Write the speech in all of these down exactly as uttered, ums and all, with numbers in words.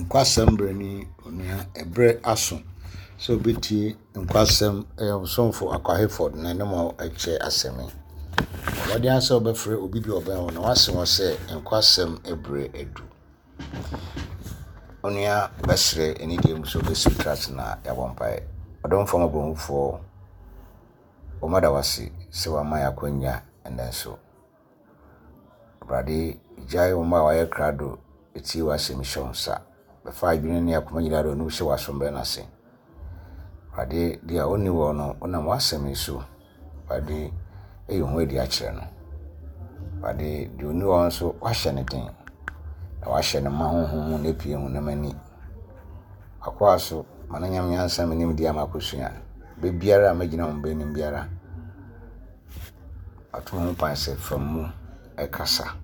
Nkwasɛm berɛ ni onua ɛberɛ aso sɛ wobɛtie nkwasɛm ɛyɛ ɔsomfo Akwa Hayford na ɛne mo ɛkyɛ asɛm yi. Wɔde ara sɛ wobɛfrɛ obi bi a ɔbɛn wo na wase wɔ sɛ nkwasɛm ɛberɛ adu. Onua bɛsrɛ anidie mu sɛ wobɛsi wo tiri ase na yɛabɔ mpaeɛ. Ɔdomfoɔ mmɔborɔhunufoɔ, wɔmada wo ase sɛ woama yɛn akwanya ɛnnɛ nso. Awurade, gyae wɔn a wɔayɛ krado etie w'asɛm hyɛ wo nsa. Bɛfa adwene ne akoma nyinaa de ɔno hyɛ w'asombrɛ no ase. Awurade, deɛ ɔnni wɔ no, wonam w'asɛm yi so, Awurade, ɛyi ho adi akyerɛ no. Awurade, deɛ ɔnni hɔ nso, wahyɛ no den. Na wahyɛ no ma honhom mu na epue honam ani. Akoa so, ma no nyam nyansa me nimdeɛ ama akosua. Baabiara a mɛgyina wɔn bɛnim biara, ato ho kwan sɛ fa mu ɛkasa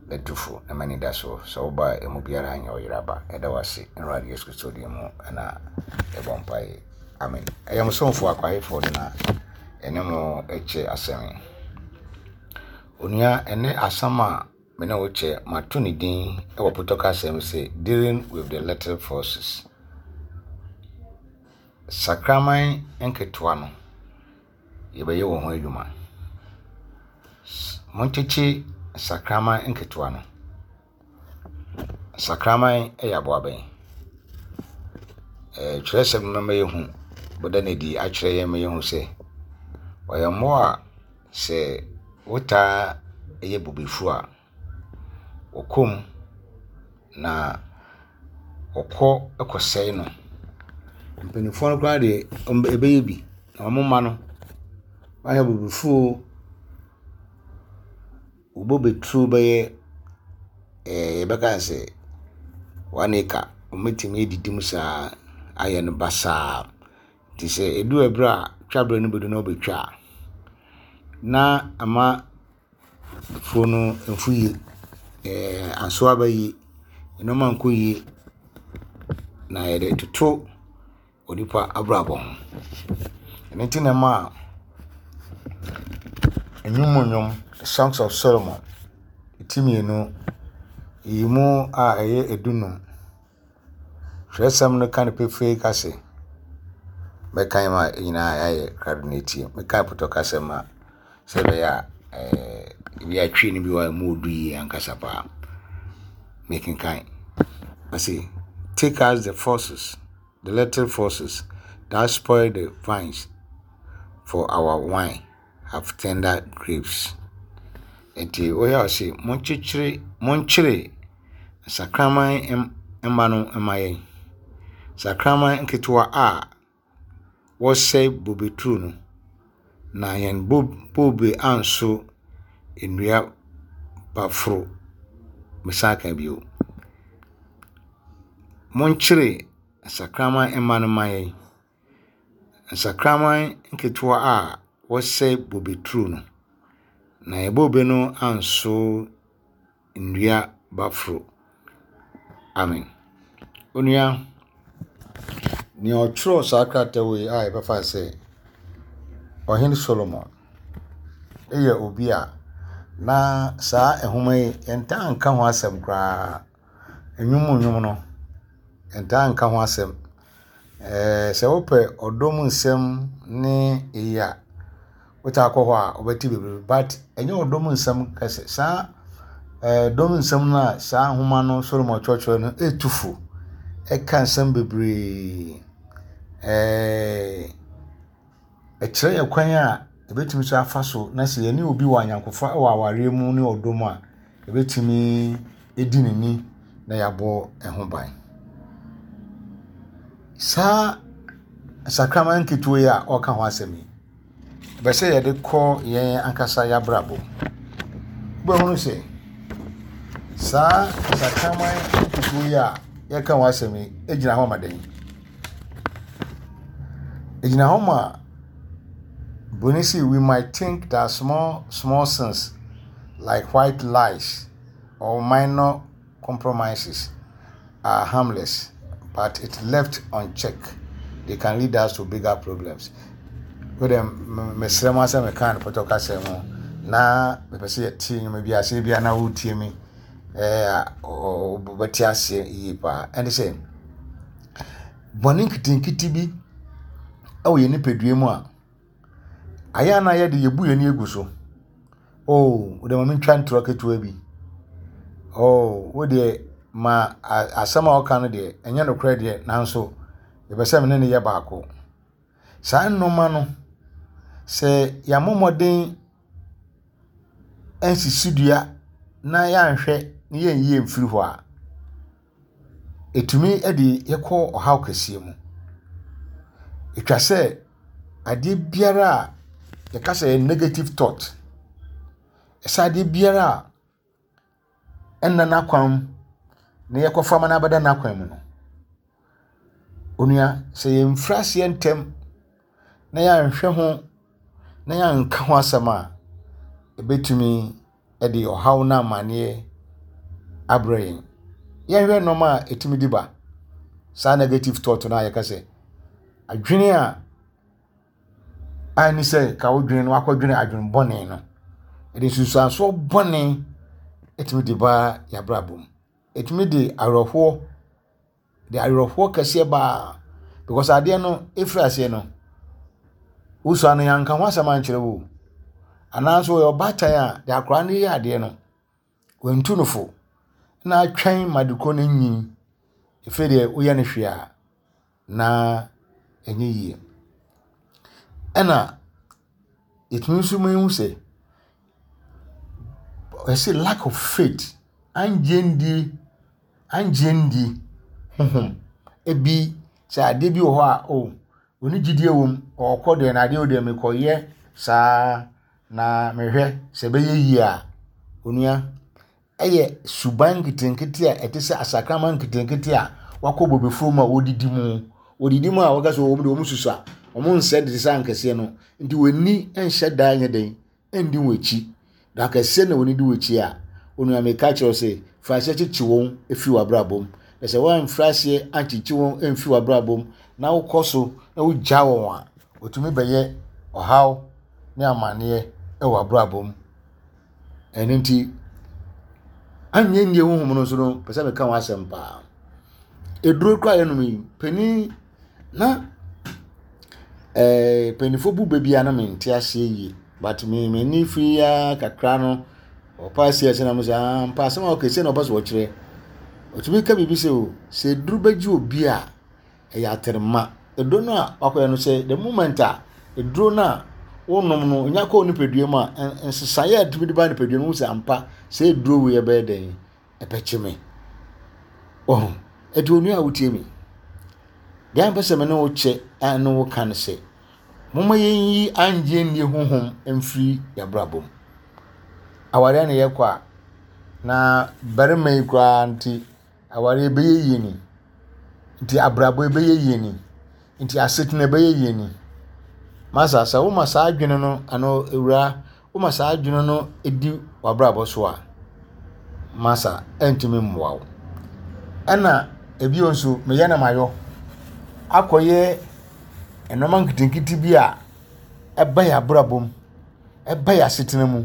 na tu na m'ani da so sɛ woba a emu biara nyɛ ɔyera ba. Ɛda wo ase. Awurade Yesu Kristo din mu ɛna yɛbɔ mpaeɛ. Amen. Ɛyɛ mo somfo Akwa Hayford na ɛne mo ɛkyɛ asɛm yi. Onua, ɛnɛ asɛm a me ne wo kyɛ, mato ne din ɛwɔ potɔ kasa mu sɛ dealing with the little foxes. Sakraman nketewa no, yɛbɛyɛ wɔn ho adwuma. Monkyekye sakraman nketewa no. Sakraman yɛ aboa bɛn? Ɛɛ twerɛsɛm no ma yɛhu, bɛda no adi akyerɛ yɛn ma yɛhu sɛ ɔyɛ mmoa a sɛ wotaa yɛ bobefuo a, wɔkɔ mu na wɔkɔ kɔsɛe no. Mpanimfoɔ no koraa deɛ ɛbɛyɛ bi na wɔn mma no, wɔayɛ bobefuo wo bobeturo bɛyɛ ɛɛ yɛbɛka no sɛ one acre. Wɔbɛtumi adidi mu saa ayɛ no basaa. Nti sɛ ɛduru ɛberɛ a twaberɛ no bɛdu na wɔbɛtwa a, na ama afuo no mfu yie. Ɛɛ anso aba yie, nneɛma nkɔ yie na yɛde toto onipa abrabɔ ho. Ɛno nti na ɛma nnwom mu nnwom, Songs of Solomon, ti mmienu, yi mu a ɛyɛ edunum. Twerɛsɛm no ka no pefee ka sɛ, mɛkan ma nyinaa ayɛ krado na etie. Mɛkan potɔ kasa mu a sɛ ɛbɛyɛ a ɛɛ ebi atwi no bi wɔ a emu odu yie ankasa paa. Mekenkan. Ɔse, take us the foxes, the little foxes that spoil the vines for our wine have tender grapes. Nti woyɛ a ɔse monkyekyere monkyere nsakraman mma no mma yɛn. Sakraman nketewa a wɔsɛe bobeturo no, na yɛn bobe anso nnua baforo. Mesan ka bio. Monkyere nsakraman mma no mma yɛn. Nsakraman nketewa a wɔsɛe bobeturo no, na yɛn bobe no anso nnua baforo. Amen. Onua, nea ɔtwerɛɛ saa krataa wei a yɛbɛfa sɛ Ɔhene Solomon yɛ obi a na saa nhoma yi yɛntaa nka ho asɛm koraa. Nnwom mu nnwom no, yɛntaa nka ho asɛm. Ɛɛ sɛ wopɛ ɔdɔ mu nsɛm ne eyi a, wotaa kɔ hɔ a wobɛte bebree but ɛnyɛ ɔdɔ mu nsɛm kɛse. Saa ɛɛ dɔ mu nsɛm no a saa nhoma no Solomon kyerɛkyerɛ no ɛtu fo. Ɛka nsɛm bebree. Ɛɛ ɛkyerɛ yɛn kwan a yɛbɛtumi so afa so na sɛ yɛne obi wɔ ayɔnkofa wɔ awareɛ mu ne ɔdɔ mu a, yɛbɛtumi adi ne ni na yɛabɔ ɛho ban. Saa nsakraman nketewa yi a ɔreka ho asɛm yi, ɛbɛ sɛ yɛde kɔ yɛn ankasa yɛn abrabɔ mu. Wobɛhunu sɛ saa nsakraman nketewa yi a yɛreka ho asɛm yi gyina hɔ ma dɛn? Ɛgyina hɔ ma Broni se we might think that small small sins like white lies or minor compromises are harmless, but it left unchecked, they can lead us to bigger problems. Wode mesrɛ mo asɛ meka no pɔtɔ kasa mu na mepɛ sɛ yɛte nnwoma bi ase bia na wotie mi ɛɛ ɔbɛte aseɛ yie paa. Ɛne sɛ, bɔne nketenkete bi ɛwɔ yɛn nipadua mu a, ayɛ a na yɛde yɛbu yɛn ani agu so. Oh, wode ma mentwa ntorɔ ketewa bi. Oh, wo deɛ ma asɛm a ɔka no deɛ ɛnyɛ nokorɛ deɛ, nanso yɛpɛ sɛ me ne no yɛ baako. Saa nneɛma no, sɛ yɛammɔ mmɔden ansisi dua na yɛanhwɛ na yɛnyi amfiri hɔ a, ɛtumi de yɛkɔ ɔhaw kɛseɛ mu. Ɛtwa sɛ adeɛ biara a yɛka sɛ ɛyɛ negative thought, ɛsɛ adeɛ biara a ɛnna n'akwan mu na yɛkɔfa ma no abɛda n'akwan mu no, onua, sɛ yɛmfiri aseɛ ntɛm na yɛanhwɛ ho na yɛanka ho asɛm a, ɛbɛtumi de ɔhaw no amanneɛ abrɛ yɛn. Yɛnhwɛ nneɛma a ɛtumi de ba saa negative thought no a yɛka sɛ adwene a ɛne sɛ ka wodwene no wakɔdwene adwene bɔne no, ɛde nsunsuansoɔ bɔne ɛtumi de ba yɛabrabɔ mu. Ɛtumi de awerɛhoɔ de awerɛhoɔ kɛseɛ baa because adeɛ no ɛfiri aseɛ no, wosua no yɛanka ho asɛm ankyerɛ wo, anaasɛ ɔyɛ ɔbaatan a de akwaraa no yɛ adeɛ no, wantu no fo na atwɛn ma de koro no nyin. Ɛfiri deɛ woyɛ no hwee a na ɛnyɛ yie. Ɛna yɛtumi nso mu ehu sɛ ɛsɛ lack of faith, angye ndie angye ndie honhom. Ebi sɛ adeɛ bi wɔ hɔ a, oh, oni gyidie wɔ mu, ɔkɔ deɛ na adeɛ wɔ deɛ mekɔyɛ saa na mehwɛ sɛ ɛbɛyɛ yie a, onua, ɛyɛ suban nketenkete a ɛte sɛ asakraman nketenkete a wakɔ bobefuo mu a wɔdidi mu. Wɔdidi mu a wɔka sɛ wɔn de wɔn susu a wɔn nsɛ de sɛ ankɛseɛ no, nti wɔn ani nhyɛ daa nyɛ den ndi wɔn akyi. Na akɛseɛ na wɔn di wɔn akyi a, onua, meka kyerɛ sɛ firi aseɛ kyekye wɔn efiri w'abrabɔ mu. Na sɛ wɔamfiri aseɛ ankyekye wɔn amfiri w'abrabɔ mu na wokɔ so na wogya wɔn a, wɔtumi bɛyɛ ɔhaw ne amanneɛ wɔ w'abrabɔ mu. Ɛno nti anyɛ nnie honhom no nso no, pɛ sɛ meka ho asɛm paa. Eduro koraa yɛnom yi, panin na ɛɛ mpanimfoɔ bu bɛ bi a na mente aseɛ yie, but me m'ani firi ya kakra no, ɔpa ase ɛsɛ na mo sɛ ah mpa asɛm a ɔka sɛ na ɔpɛ sɛ ɔkyerɛ. Ɔtumi ka biribi sɛ o, sɛ eduro bɛgye obi a, ɛyɛ aterema. Eduro no a wakɔyɛ no, sɛ the moment a eduro no a wonom no onya kɔɔ nipadua mu a, nsesaeɛ a ɛtumi de ba nipadua no mu sɛ ampa sɛ eduro wei ɛbɛyɛ dɛn ɛbɛkye me. Ɔho ɛti onua a wotie mi, deɛ mpɛ sɛ me ne wo kyɛ a ne wo ka no sɛ, momma yɛnyi angye nni honhom mfiri yɛabrabɔ mu. Awareɛ na yɛkɔ a, na barima yi koraa nti awareɛ bɛyɛ yie ni, nti abrabɔ bɛyɛ yie ni, nti asetena bɛyɛ yie ni. Masa, sɛ woma saa adwene no ano ewura, woma saa adwene no di w'abrabɔ so a, masa, ɛntumi mmoa wo. Ɛna ebio nso meyɛ na mayɔ akɔyɛ nneɛma nketenkete bi a ɛba yɛ abrabɔ mu, ɛba yɛ asetena mu.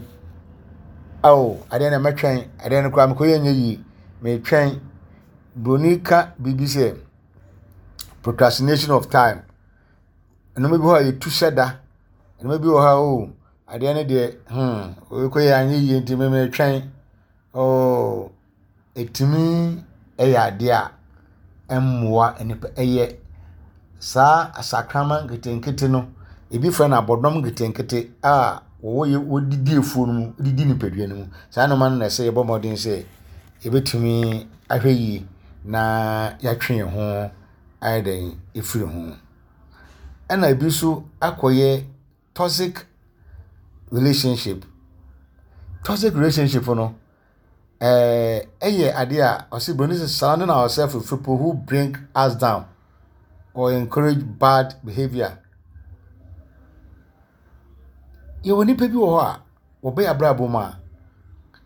Ao, adeɛ no mɛtwɛn, adeɛ no koraa mekɔyɛ nyɛ yie, metwɛn. Broni ka biribi sɛ procrastination of time. Nneɛma bi wɔ hɔ a yɛtu hyɛ da, nneɛma bi wɔ hɔ a, oh, adeɛ no deɛ hmm wei anyɛ yie nti me metwɛn. Oh, ɛtumi ɛyɛ adeɛ a ɛmmoa nipa. Ɛyɛ saa asakraman nketenkete no, ebi frɛ no abɔdɔm nketenkete a wɔwɔ yɛ wɔdidi afuo no mu, didi nipadua no mu. Saa nneɛma no na ɛsɛ yɛbɔ mmɔden sɛ yɛbɛtumi ahwɛ yie na yɛatwe yɛn ho ayɛ dɛn efiri ho. Ɛna ebi nso akɔyɛ toxic relationship. Toxic relationship no, ɛɛ ɛyɛ adeɛ a ɔsi broni sɛ surrounding ourselves with people who bring us down or encourage bad behaviour. Yɛwɔ nipa bi wɔ hɔ a wɔbɛyɛ abrabɔ mu a,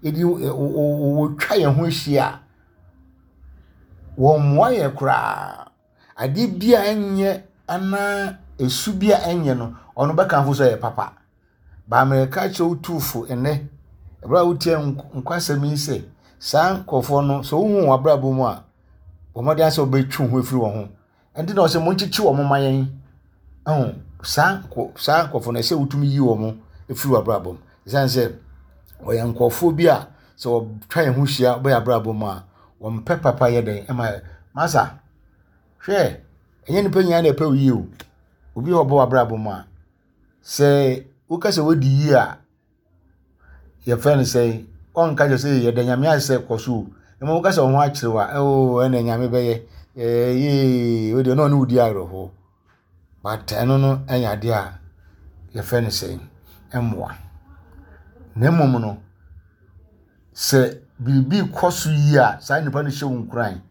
yɛde wɔtwa yɛn ho ahyia a, wɔmmoa yɛn koraa. Adeɛ bi a ɛnyɛ anaa esu bi a ɛnyɛ no, ɔno bɛkamfo sɛ ɛyɛ papa. Baamirika kyerɛ wo tuufo nnɛ, ɛberɛ a wotie nkwasɛm yi sɛ, Saa nkurɔfoɔ no, sɛ wohu wɔn abrabɔ mu a, bɔ mmɔden sɛ wobɛtwe wo ho afiri wɔn ho. Ɛnti na ɔsɛ monkyekye wɔn ma yɛn. Ɛho saa saa nkurɔfoɔ no, ɛsɛ wotumi yi wɔn firi w'abrabɔ mu. Ɛsiane sɛ wɔyɛ nkurɔfoɔ bi a sɛ wɔtwa yɛn ho hyia bɛyɛ abrabɔ mu a, wɔmpɛ papa yɛ dɛn ɛma masa. Hwɛ, ɛnyɛ nipa nyinaa na ɛpɛ wo yie o. Obi a ɔbɔ w'abrabɔ mu a, sɛ woka sɛ wodi yie a, yɛfrɛ no sɛ ɔnka kyerɛ sɛ yɛda Nyame ase sɛ kɔ so o. Na mmom woka sɛ wo ho akyere wo a, oo ɛna Nyame bɛyɛ. Ɛɛ yee, wo deɛ na ɔne wo di awerɛhoɔ. But ɛno no ɛnyɛ adeɛ a yɛfrɛ no sɛ ɛmmoa. Na mmom no, sɛ biribi kɔ so yie a, saa nipa no hyɛ wo nkuran.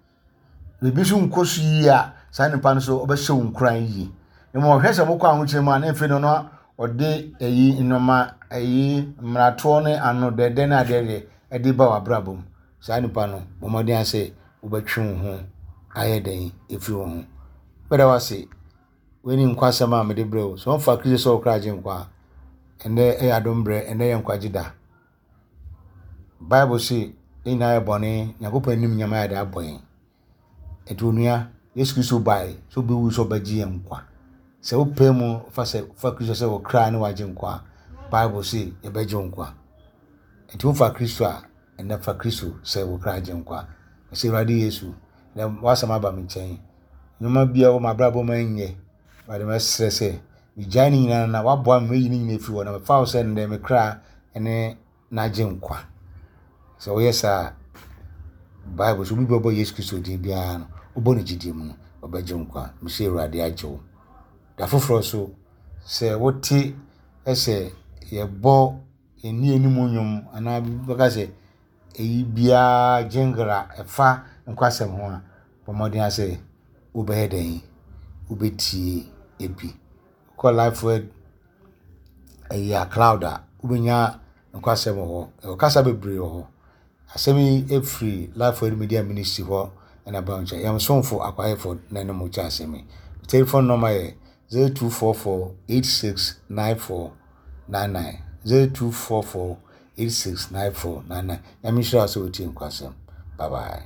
Biribi nso nkɔ so yie a, saa nipa no nso ɔbɛhyɛ wo nkuran yie. Na mmom ɔhwɛ sɛ mokɔ ahokyere mu a, na afei no na ɔde ɛyi nneɛma ɛyi mmaratoɔ ne ano dɛdɛ ne adeɛ deɛ ɛde ba w'abrabɔ mu. Saa nipa no, bɔ mmɔden sɛ wobɛtwe wo ho ayɛ dɛn ɛfiri wo ho. Mɛda wo ase. Wei ne nkwasɛm a mede brɛ wo. Sɛ wɔmfa Kristo sɛ wo kra agye nkwa a, ɛnnɛ ɛyɛ adom berɛ, ɛnnɛ yɛ nkwagye da. Bible se yɛn nyinaa yɛ bɔne, Nyankopɔn anim nyam ayɛ de abɔ yɛn. Nti onua, Yesu Kristo bae sɛ ɔbɛwu sɛ ɔbɛgye yɛn nkwa. Sɛ wopɛ mu fa sɛ fa Kristo sɛ wo kra ne wagye nkwa a, Bible se yɛbɛgye wo nkwa. Nti wofa Kristo a, ɛnnɛ fa Kristo sɛ wo kra agye nkwa. Sɛ Awurade Yesu, na w'asɛm aba me nkyɛn. Nneɛma biara wɔ m'abrabɔ mu ɛnyɛ. Awurade mɛsrɛ sɛ megyae ne nyinaa na waboa me mayi ne nyinaa afiri hɔ na mefa wo sɛ nnɛ me kra ne n'agye nkwa. Sɛ woyɛ saa a, Bible sɛ obi bɛbɔ Yesu Kristo din biara no, wobɔ no gyidie mu no, ɔbɛgye wo nkwa. Mesɛ Awurade agye wo. Da foforɔ so, sɛ wote sɛ yɛbɔ yɛn anim nnwom anaa bɛka sɛ ɛyi biara jingle a ɛfa nkwasɛm ho a, bɔ mmɔden sɛ wobɛyɛ dɛn, wobɛtie ebi. Kɔ Life Word ɛyi a cloud a, wobɛnya nkwasɛm wɔ hɔ. Ɛwɔ kasa bebree wɔ hɔ. Asɛm yi efiri Life Word Media Ministry hɔ ɛna ba nkyɛn. Yɛn somfo akwayɛfo na ɛne mo kyɛ asɛm yi. Telephone number yɛ zero two four four eight six nine four nine nine zero two four four eight six nine four nine nine. Nyame nhyira wo sɛ wotie nkwasɛm. Bye bye.